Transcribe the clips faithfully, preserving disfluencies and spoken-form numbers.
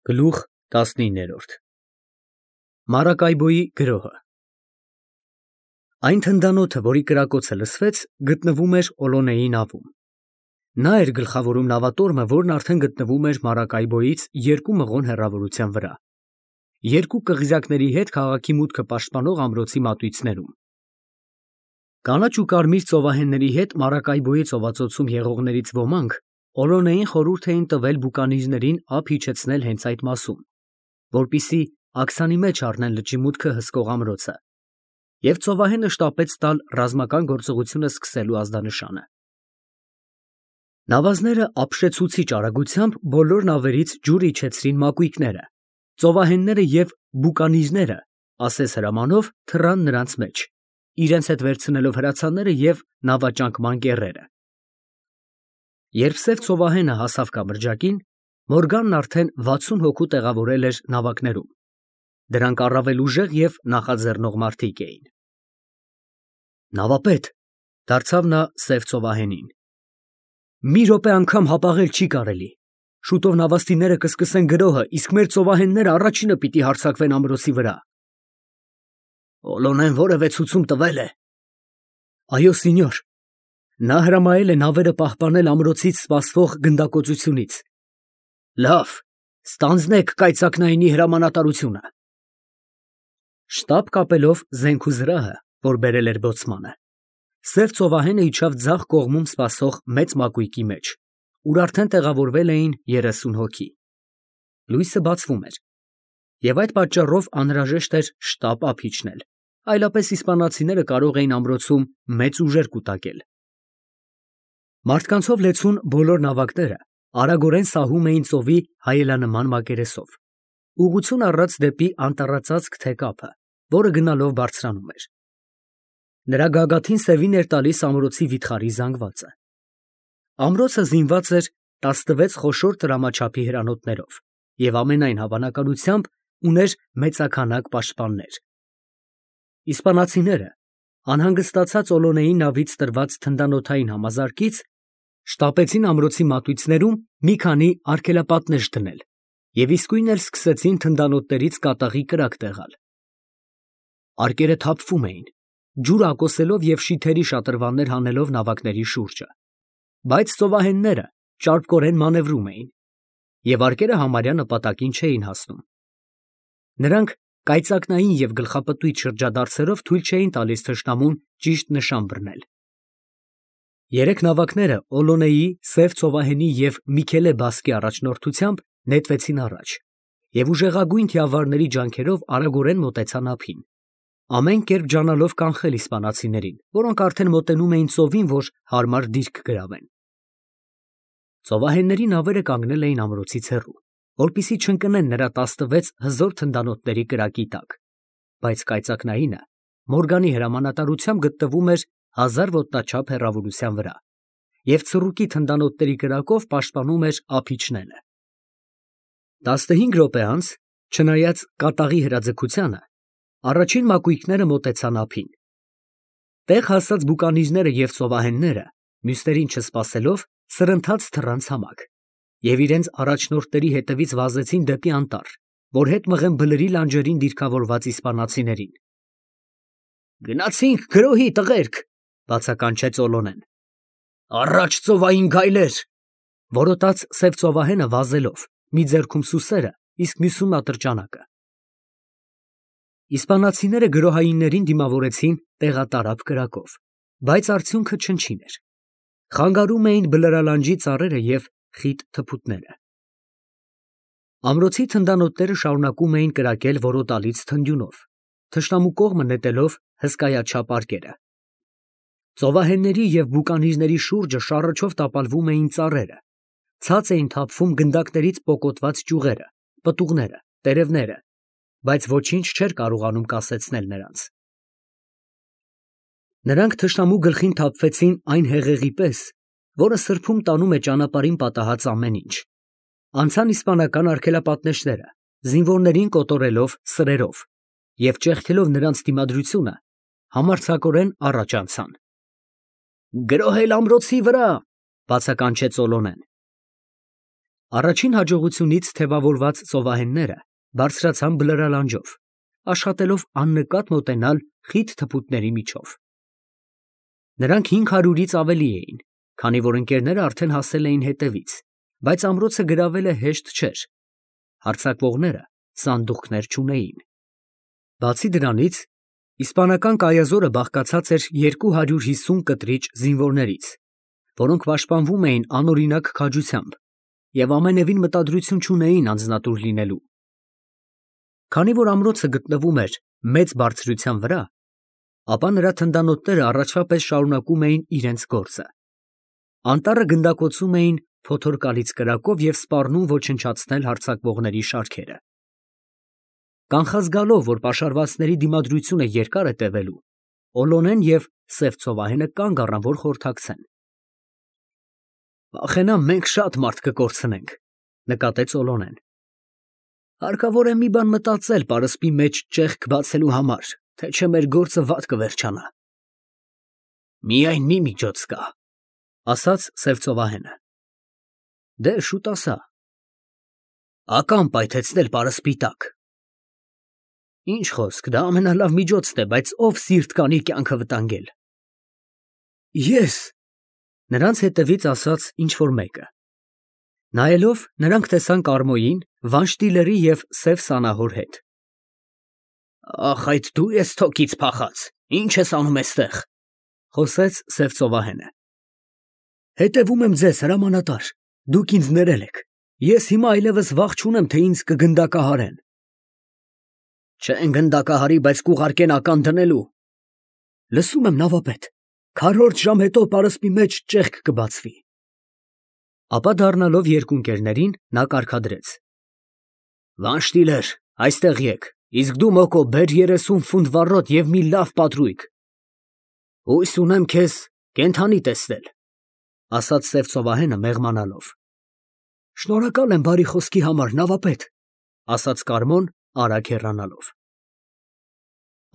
Գլուխ տասնիններորդ Մարակայբոյի գրոհը Այն թնդանոթը, որի կրակոցը լսվեց, գտնվում էր Օլոնեի նավում։ Նա էր գլխավորում նավատորմը, որն արդեն գտնվում էր Մարակայբոյից երկու մղոն հեռավորության վրա, երկու կղզյակների հետ քաղաքի մուտքը պաշտպանող ամրոցի մատույցներում։ Կանաչ ու կարմիր ծովահենների հետ Մարակայբոյի ծովածոցում եղողներից ոմանք Օլոնեին խորհուրդ էին տվել բուկանիզներին ափ իջեցնել հենց այդ մասում, որպեսզի աքսանի մեջ առնեն լճի մուտքը հսկող ամրոցը, և ծովահենը շտապեց տալ ռազմական գործողությունը սկսելու ազդանշանը։ Նավազները ապշեցուցիչ արագությամբ բոլոր նավերից ջուր իջեցրին մակույկները, ծովահենները և բուկանիզները, ասես հրամանով, թռան նրանց մեջ, իրենց հետ վերցնելով հրացանները և նավաճանկման կեռերը։ Երբ սև ծովահենը հասավ կամրջակին, Մորգանն արդեն վաթսուն հոգու տեղավորել էր նավակներում, դրանք առավել ուժեղ և նախաձեռնող մարդիկ էին։ Նավապետ, դարձավ նա սև ծովահենին, մի րոպե անգամ հապաղել չի կարելի, շուտով նավաստիները կսկսեն գրոհը, իսկ մեր ծովահենները առաջինը պիտի հարձակվեն ամրոցի վրա։ Օլոնեն որևէ ցուցում տվե՞լ է։ Այո, սինյոր, նա հրամայել է նավերը պահպանել ամրոցից սպասվող գնդակոծությունից։ Լավ, ստանձնեք կայծակնայինի հրամանատարությունը։ Շտապ կապելով զենք ու զրահը, որ բերել էր բոցմանը, սև ծովահենը իջավ ձախ կողմում սպասող մեծ մակույկի մեջ, ուր արդեն տեղավորվել էին երեսուն հոգի։ Լույսը բացվում էր, և այդ պատճառով անհրաժեշտ էր շտապ ափ իջնել, այլապես իսպանացիները կարող էին ամրոցում մեծ ուժեր կուտակել։ Մարդկանցով լեցուն բոլոր նավակները արագորեն սահում էին ծովի հայելանման մակերեսով, ուղղություն առած դեպի անտառածածկ թե կափը, որը գնալով բարձրանում էր։ Նրա գագաթին սևին էր տալիս ամրոցի վիթխարի զանգվածը։ Ամրոցը զինված էր տասնվեց խոշոր տրամաչափի հրանոթներով և ամենայն հավանականությամբ ուներ մեծաքանակ պաշտպաններ։ Իսպանացիները, անհանգստացած Օլոնեի նավից տրված թնդանոթային համազարկից, շտապեցին ամրոցի մատույցներում մի քանի արգելապատնեշ դնել և իսկույն էլ սկսեցին թնդանոթներից կատաղի կրակ տեղալ։ Արկերը թափվում էին, ջուր ակոսելով և շիթերի շատրվաններ հանելով նավակների շուրջը, բայց ծովահենները ճարպկորեն մանևրում էին, և արկերը համարյա նպատակին չէին հասնում։ Նրանք կայծակնային և գլխապտույտ շրջադարձերով թույլ չէին տալիս թշնամուն ճիշտ նշան բռնել։ Երեք նավակները Օլոնեի, սև ծովահենի և Միքելե բասկի առաջնորդությամբ նետվեցին առաջ և ուժեղագույն թիավարների ջանքերով արագորեն մոտեցան ափին, ամեն կերպ ջանալով կանխել իսպանացիներին, որոնք արդեն մոտենում էին ծովին, որ հարմար դիրք գրավեն։ Ծովահենների նավերը կանգնել էին ամրոցից հեռու, որպեսզի չընկնեն նրա տասնվեց հզոր թնդանոթների կրակի տակ, բայց կայծակնայինը Մորգանի հրամանատարությամբ գտնվում էր հազար ոտնաչափ հեռավորության վրա և ցռուկի թնդանոթների կրակով պաշտպանում էր ափ իջնելը։ Տասնհինգ րոպե անց, չնայած կատաղի հրաձգությանը, առաջին մակույկները մոտեցան ափին։ Տեղ հասած բուկանիզները և ծովահենները, մյուսներին չսպասելով, սրընթաց թռան ցամաք և իրենց առաջնորդների հետևից վազեցին դեպի անտառ, որ հետ մղեն բլրի լանջերին դիրքավորված իսպանացիներին։ Գնացինք գրոհի, տղերք, բացականչեց Օլոնեն։ Առաջ ծովային գայլեր, որոտաց սև ծովահենը վազելով, մի ձեռքում սուսերը, իսկ մյուսում ատրճանակը։ Իսպանացիները գրոհայիններին դիմավորեցին տեղատարափ կրակով, բայց արդյունքը չնչին էր։ Խանգարում էին բլրալանջի ծառերը և խիտ թփուտները։ Ամրոցի թնդանոթները շարունակում էին կրակել որոտալից թնդյունով, թշնամու կողմը նետելով հսկայաչափ արկերը։ Ծովահենների և բուկանիզների շուրջը շառաչով տապալվում էին ծառերը, ցած էին թափվում գնդակներից պոկոտված ճյուղերը, պտուղները, տերևները, բայց ոչինչ չէր կարողանում կասեցնել նրանց։ Նրանք թշնամու գլխին թափվեցին այն հեղեղի պես, որը սրբում տանում է ճանապարհին պատահած ամեն ինչ, անցան իսպանական արգելապատնեշները, զինվորներին կոտորելով սրերով և ճեղքելով նրանց դիմադրությունը, համարձակորեն առաջ անցան։ Գրոհել ամրոցի վրա, բացականչեց Օլոնեն։ Առաջին հաջողությունից թևավորված ծովահենները բարձրացան բլրալանջով, աշխատելով աննկատ մոտենալ խիտ թփուտների միջով։ Նրանք հինգ հարյուրից ավելի էին, քանի որ ընկերները արդեն հասել էին հետևից, բայց ամրոցը գրավելը հեշտ չէր։ Հարձակվողները սանդուղքներ չունեին։ Բացի դրանից, իսպանական կայազորը բաղկացած էր երկու հարյուր հիսուն կտրիչ զինվորներից, որոնք պաշտպանվում էին անօրինակ քաջությամբ և ամենևին մտադրություն չունեին անձնատուր լինելու։ Քանի որ ամրոցը գտնվում էր մեծ բարձրության վրա, ապա նրա թնդանոթները առաջվա պես շարունակում էին իրենց գործը։ Անտառը գնդակոծում էին փոթորկալից կրակով և սպառնում ոչնչացնել հարձակվողների շարքերը։ Կանխած գալով, որ պաշարվածների դիմադրությունը երկար է տևելու, Օլոնեն և սև ծովահենը կանգ առան, որ խորհրդակցեն։ «Վախենամ, մենք շատ մարդ կկորցնենք», նկատեց Օլոնեն։ «Հարկավոր է մի բան մտածել պարսպի մեջ ճեղք բացելու համար, թե չէ մեր գործը վատ կվերջանա»։ «Միայն մի միջոց կա», ասաց սև ծովահենը։ «Դե շուտ ասա»։ «Ական պայթեցնել պարսպի տակ»։ «Ինչ խոսք, դա ամենալավ միջոցն է, բայց ով սիրտ կանի կյանքը վտանգել»։ «Ես», նրանց հետևից ասաց ինչ֊որ մեկը։ Նայելով, նրանք տեսան Կարմոյին, Վանշտիլերի և սև սանահոր հետ։ «Ախ, այդ դու ես թոքից փախած, ի՞նչ ես անում էստեղ», խոսեց սև ծովահենը։ «Հետևում եմ ձեզ, հրամանատար, դուք ինձ ներել եք, ես հիմա այլևս վախ չունեմ, թե ինձ կգնդակահարեն»։ «Չեն գնդակահարի, բայց կուղարկեն ական դնելու»։ «Լսում եմ, նավապետ, քառորդ ժամ հետո պարսպի մեջ ճեղք կբացվի»։ Ապա դառնալով երկու ընկերներին, նա կարգադրեց. «Վանշտիլեր, այստեղ եկ, իսկ դու Մոկո, բեր երեսուն ֆունտ վառոդ և մի լավ պատրույգ։ Հույս ունեմ քեզ կենդանի տեսնել», ասաց սև ծովահենը մեղմանալով։ «Շնորհակալ եմ բարի խոսքի համար, նավապետ», ասաց Կարմոն արագ հեռանալով։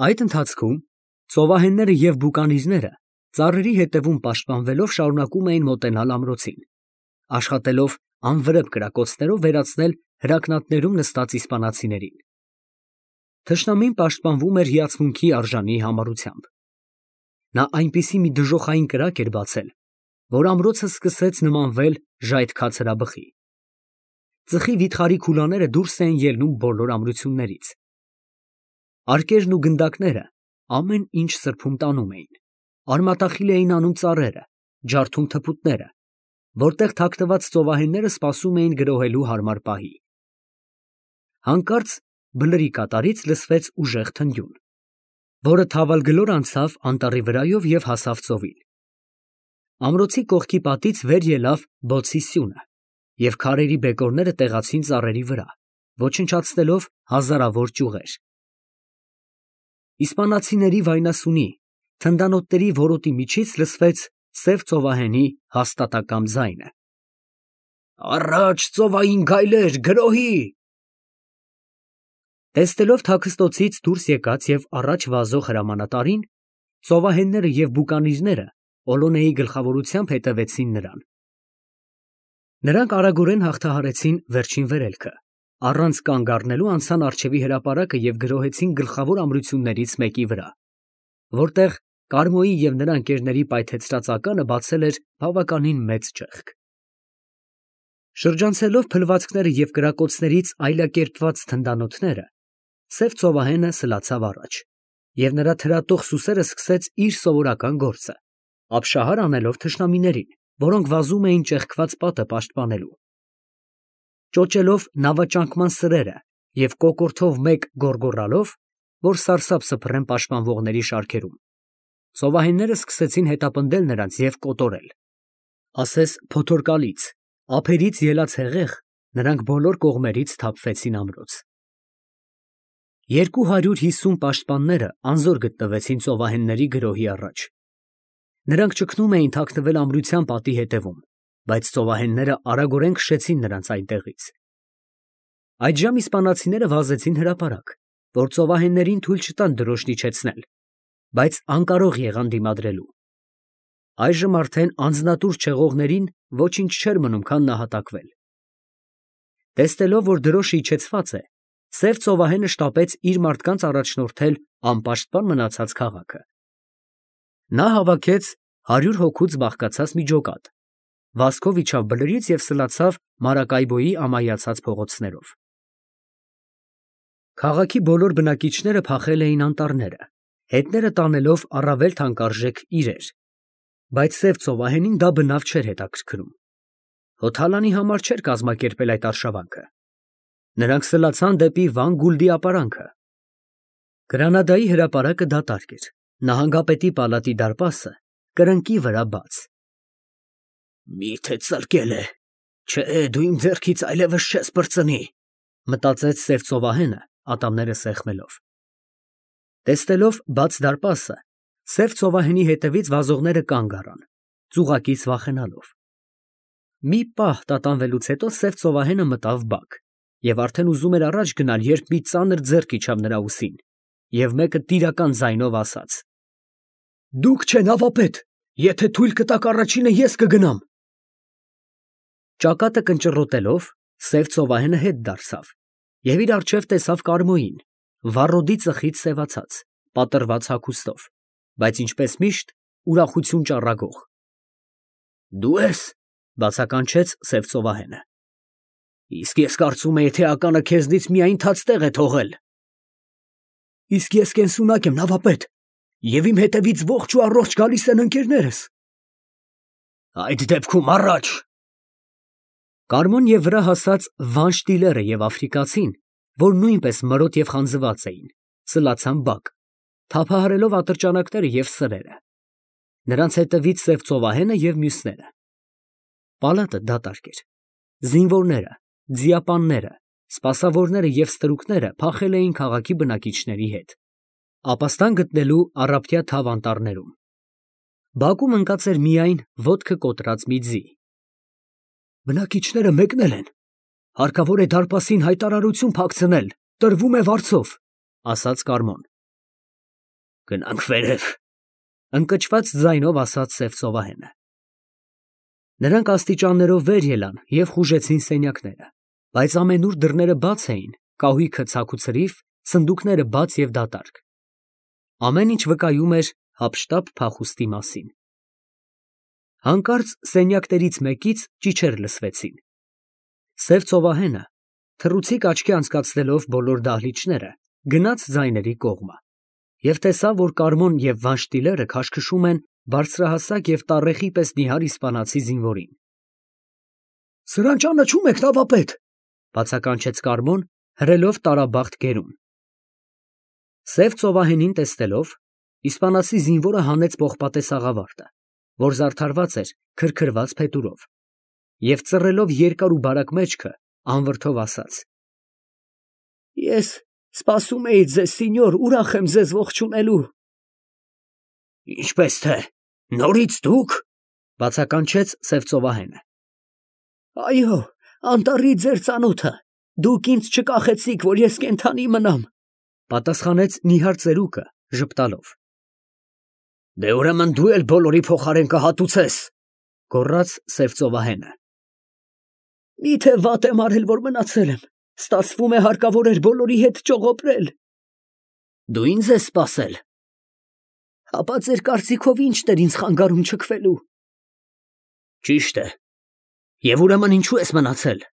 Այդ ընթացքում ծովահենները և բուկանիզները ծառերի հետևում պաշտպանվելով շարունակում էին մոտենալ ամրոցին, աշխատելով անվրեպ կրակոցներով վերացնել հրակնատներում նստած իսպանացիներին։ Թշնամին պաշտպանվում էր հիացմունքի արժանի համառությամբ։ Նա այնպիսի մի դժոխային կրակ էր բացել, որ ամրոցը սկսեց նմանվել ժայթքած հրաբխի։ Ծխի վիթխարի քուլաները դուրս էին ելնում բոլոր ամրություններից։ Արկերն ու գնդակները ամեն ինչ սրբում տանում էին, արմատախիլ էին անում ծառերը, ջարդում թփուտները, որտեղ թաքնված ծովահենները սպասում էին գրոհելու հարմար պահի։ Հանկարծ բլրի կատարից լսվեց ուժեղ թնդյուն, որը թավալգլոր անցավ անտառի վրայով և հասավ ծովին։ Ամրոցի կողքի պատից վեր ելավ բոցի սյունը, և քարերի բեկորները տեղացին ծառերի վրա, ոչնչացնելով հազարավոր ճյուղեր։ Իսպանացիների վայնասունի, թնդանոթների որոտի միջից լսվեց սև ծովահենի հաստատակամ ձայնը. «Առաջ, ծովային գայլեր, գրոհի»։ Տեսնելով թաքստոցից դուրս եկած և առաջ վազող հրամանատարին, ծովահենները և բուկանիզները Օլոնեի գլխավորությամբ հետևեցին նրան։ Նրանք արագորեն հաղթահարեցին վերջին վերելքը, առանց կանգ առնելու անցան առջևի հրապարակը և գրոհեցին գլխավոր ամրություններից մեկի վրա, որտեղ Կարմոյի և նրա ընկերների պայթեցրած ականը բացել էր բավականին մեծ ճեղք։ Շրջանցելով փլվածքները և կրակոցներից այլակերպված թնդանոթները, սև ծովահենը սլացավ առաջ, և նրա թրատող սուսերն սկսեց իր սովորական գործը, ապշահար անելով թշնամիներին, որոնք վազում էին ճեղքված պատը պաշտպանելու։ Ճոճելով նավաճանկման սրերը և կոկորդով մեկ գոռգոռալով, որ սարսափ սփռեն պաշտպանվողների շարքերում, ծովահենները սկսեցին հետապնդել նրանց և կոտորել։ Ասես փոթորկալից, ափերից ելած հեղեղ, նրանք բոլոր կողմերից թափվեցին ամրոց։ Երկու հարյուր հիսուն պաշտպանները անզոր գտնվեցին ծովահենների գրոհի առաջ։ Նրանք ճգնում էին թաքնվել ամրության պատի հետևում, բայց ծովահենները արագորեն քշեցին նրանց այնտեղից։ Այդժամ իսպանացիները վազեցին հրապարակ, որ ծովահեններին թույլ չտան դրոշն իջեցնել, բայց անկարող եղան դիմադրելու։ Այժմ արդեն անձնատուր չեղողներին ոչինչ չէր մնում, քան նահատակվել։ Տեսնելով, որ դրոշը իջեցված է, սև ծովահենը շտապեց իր մարդկանց առաջնորդել անպաշտպան մնացած քաղաքը։ Նա հավաքեց հարյուր հոգուց բաղկացած մի ջոկատ, վազքով իջավ բլրից և սլացավ Մարակայբոյի ամայացած փողոցներով։ Քաղաքի բոլոր բնակիչները փախել էին անտառները, հետները տանելով առավել թանկարժեք իրեր, բայց սև ծովահենին դա բնավ չէր հետաքրքրում։ Հոթալանի համար չէր կազմակերպել այդ արշավանքը։ Նրանք սլացան դեպի Վան Գուլդի ապարանքը։ Գրանադայի հրապարակը դատարկ էր, նահանգապետի պալատի դարպասը կրնկի վրա բաց։ Միթե ծլկել է, չէ, դու իմ ձեռքից այլևս չես պրծնի, մտածեց սև ծովահենը, ատամները սեղմելով։ Տեսնելով բաց դարպասը, սև ծովահենի հետևից վազողները կանգ առան, ծուղակից վախենալով։ Մի պահ տատանվելուց հետո սև ծովահենը մտավ բակ և արդեն ուզում էր առաջ գնալ, երբ մի ծանր ձեռք իջավ նրա ուսին, և մեկը տիրական ձայնով ասաց. «Դուք չէ նավապետ, եթե թույլ կտաք առաջինը ես կգնամ»։ Ճակատը կնճռոտելով, սև ծովահենը հետ դարձավ և իր առջև տեսավ Կարմոյին, վառոդի ծխից սևացած, պատռված հագուստով, բայց ինչպես միշտ ուրախություն ճառագող։ «Դու ես», բացականչեց սև ծովահենը։ «Իսկ ես կարծում էի, թե ականը քեզնից միայն թաց տեղ է թողել»։ «Իսկ ես կենսունակ եմ, նավապետ, և իմ հետևից ողջ ու առողջ գալիս են ընկերներս»։ «Այդ դեպքում առաջ»։ Կարմոն և վրա հասած Վանշտիլերը և աֆրիկացին, որ նույնպես մրոտ և խանձված էին, սլացան բակ, թափահարելով ատրճանակները և սրերը, նրանց հետևից սև ծովահենը և մյուսները։ Պալատը դատարկ էր։ Զինվորները, ձիապանները, սպասավորները և ստրուկները փախել էին քաղաքի բնակիչների հետ, ապաստան գտնելու առափտյա թավ անտառներում։ Բակում ընկած էր միայն ոտքը կոտրած մի ձի։ Բնակիչները մեկնել են, հարկավոր է դարպասին հայտարարություն փակցնել, տրվում է վարձով, ասաց Կարմոն։ Գնանք վերև, ընկճված ձայնով ասաց սև ծովահենը։ Նրանք աստիճաններով վեր ելան և խուժեցին սենյակները, բայց ամենուր դռները բաց էին, կահույքը ցաք ու ցրիվ, սնդուկները բաց և դատարկ։ Ամեն ինչ վկայում էր հափշտապ փախուստի մասին։ Հանկարծ սենյակներից մեկից ճիչեր լսվեցին։ Սև ծովահենը, թռուցիկ աչքի անցկացնելով բոլոր դահլիճները, գնաց ձայների կողմը և տեսավ, որ Կարմոն և Վանշտիլերը քաշքշում են բարձրահասակ և տառեխի պես նիհար իսպանացի զինվորին։ Սրան ճանաչում եք, նավապետ, բացականչեց Կարմոն, հրելով տարաբախտ գերուն։ Սև ծովահենին տեսնելով, իսպանացի զինվորը հանեց պողպատե սաղավարտը, որ զարդարված էր քրքրված փետուրով, և ծռելով երկար ու բարակ մեջքը, անվրդով ասաց. Ես սպասում էի ձեզ, սինյոր, ուրախ եմ ձեզ ողջունելու։ Ինչպես թե, նորից դուք, բացականչեց սև ծովահենը։ Այո, անտառի ձեր ծանոթը, դուք ինձ չկախեցիք, որ ես կենդանի մնամ, պատասխանեց նիհար ծերուկը ժպտալով։ Դե ուրեմն դու էլ բոլորի փոխարեն կհատուցես, գոռաց սև ծովահենը։ Միթե վատ եմ արել, որ մնացել եմ, ստացվում է հարկավոր էր բոլորի հետ ճողոպրել։ Դու ինձ ես սպասել։ Հապա ձեր կարծիքով ի՞նչն էր ինձ խանգարում չքվելու։ Ճիշտ է, և ուրեմն ինչու ես մնացել։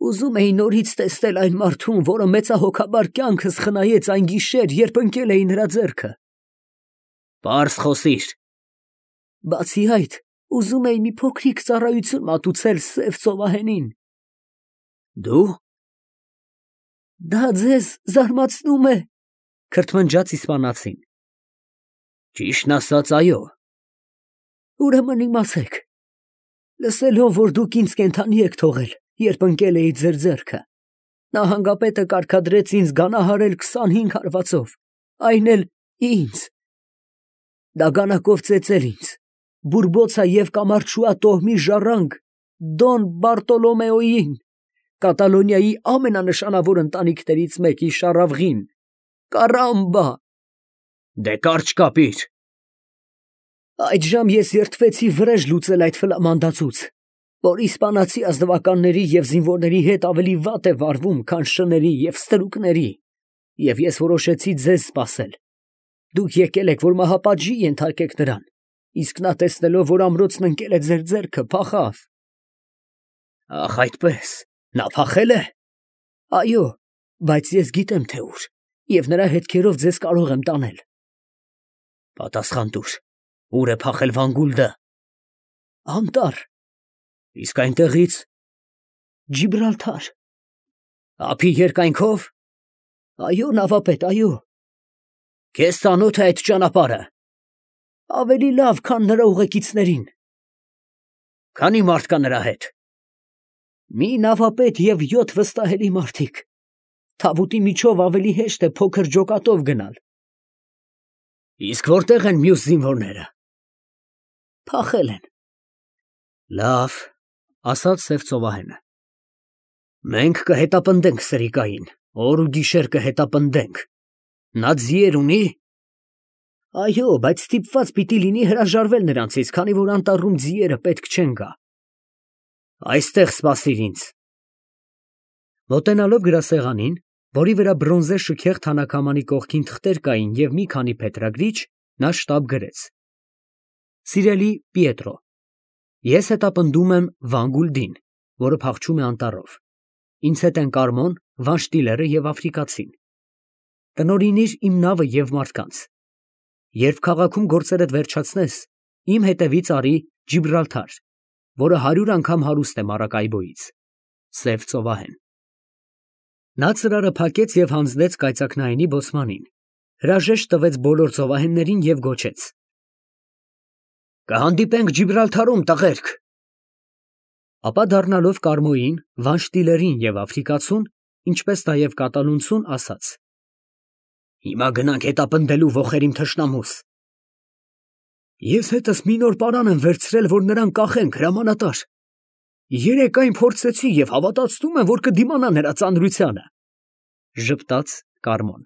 Ուզում էի նորից տեսնել այն մարդուն, որը մեծահոգաբար կյանքս խնայեց այն գիշեր, երբ ընկել էի նրա ձեռքը։ Պարզ խոսիր։ Բացի այդ, ուզում էի մի փոքրիկ ծառայություն մատուցել սև ծովահենին։ Դու։ Դա ձեզ զարմացնում է, քրթմնջաց իսպանացին։ Ճիշտն ասած, այո։ Ուրեմն իմացեք, լսելով, որ դուք ինձ կենդանի եք թողել, երբ ընկել էի ձեր ձեռքը, նահանգապետը կարգադրեց ինձ գանահարել քսանհինգ հարվածով, այն էլ ինձ, դագանակով ծեծել ինձ, Բուրբոցա և Կամարչուա տոհմի ժառանգ Դոն Բարտոլոմեոյին, Կատալոնիայի ամենանշանավոր ընտանիքներից մեկի շառավղին, կարամբա։ Դե կարճ կապիր։ Այդժամ ես երդվեցի վրեժ լուծել այդ ֆլամանդացուց, որ իսպանացի ազնվականների և զինվորների հետ ավելի վատ է վարվում, քան շների և ստրուկների, և ես որոշեցի ձեզ սպասել. դուք եկել եք, որ մահապատժի ենթարկեք նրան, իսկ նա տեսնելով, որ ամրոցն ընկել է ձեր ձեռքը, փախավ։ Ախ, այդպես, նա փախել է։ Այո, բայց ես գիտեմ, թե ուր, և նրա հետքերով ձեզ կարող եմ տանել։ Պատասխան տուր, ուր է փախել Վանգուլդը։ Անտառ։ Իսկ այնտեղից։ Ջիբրալթար։ Ափի երկայնքով։ Այո, նավապետ, այո։ Քեզ ծանոթ է այդ ճանապարհը։ Ավելի լավ, քան նրա ուղեկիցներին։ Քանի մարդ կա նրա հետ։ Մի նավապետ և յոթ վստահելի մարդիկ։ Թավուտի միջով ավելի հեշտ է փոքր ջոկատով գնալ։ Իսկ որտե՞ղ են մյուս զինվորները։ Փախել են։ Լավ, ասաց սև ծովահենը։ Մենք կհետապնդենք սրիկային, օր ու գիշեր կհետապնդենք։ Նա ձիեր ունի։ Այո, բայց ստիպված պիտի լինի հրաժարվել նրանցից, քանի որ անտառում ձիերը պետք չեն գա։ Այստեղ սպասիր ինձ։ Մոտենալով գրասեղանին, որի վրա բրոնզե շքեղ թանաքամանի կողքին թղթեր կային և մի քանի փետրագրիչ, նա շտապ գրեց. Սիրելի Պիետրո, ես հետապնդում եմ Վանգուլդին, որը փախչում է անտառով։ Ինձ հետ են Կարմոն, Վանշտիլերը և Աֆրիկացին։ Տնօրինիր իմ նավը և մարդկանց։ Երբ քաղաքում գործերդ վերջացնես, իմ հետևից արի Ջիբրալթար, որը հարյուր անգամ հարուստ է Մարակայբոյից։ Սև ծովահեն։ Նա ծրարը փակեց և հանձնեց կայծակնայինի բոցմանին, հրաժեշտ տվեց բոլոր ծովահեններին և գոչեց. Կհանդիպենք Ջիբրալթարում, տղերք։ Ապա դառնալով Կարմոյին, Վանշտիլերին և Աֆրիկացուն, ինչպես նաև կատալունցուն, ասաց. Հիմա գնանք հետապնդելու ոխերիմ թշնամուս։ Ես հետս մի նոր պարան եմ վերցրել, որ նրան կախենք, հրամանատար։ Երեկ այն փորձեցի և հավատացնում եմ, որ կդիմանա նրա ծանրությանը, ժպտաց Կարմոն։